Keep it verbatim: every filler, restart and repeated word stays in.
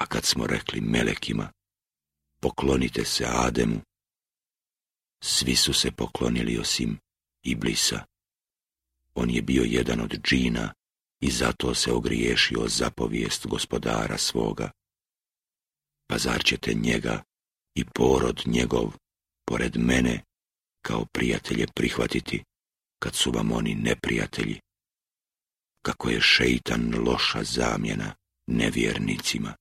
A kad smo rekli melekima, poklonite se Ademu, svi su se poklonili osim Iblisa. On je bio jedan od džina i zato se ogriješio zapovijest gospodara svoga. Pa zar ćete njega i porod njegov, pored mene, kao prijatelje prihvatiti, kad su vam oni neprijatelji? Kako je šeitan loša zamjena nevjernicima.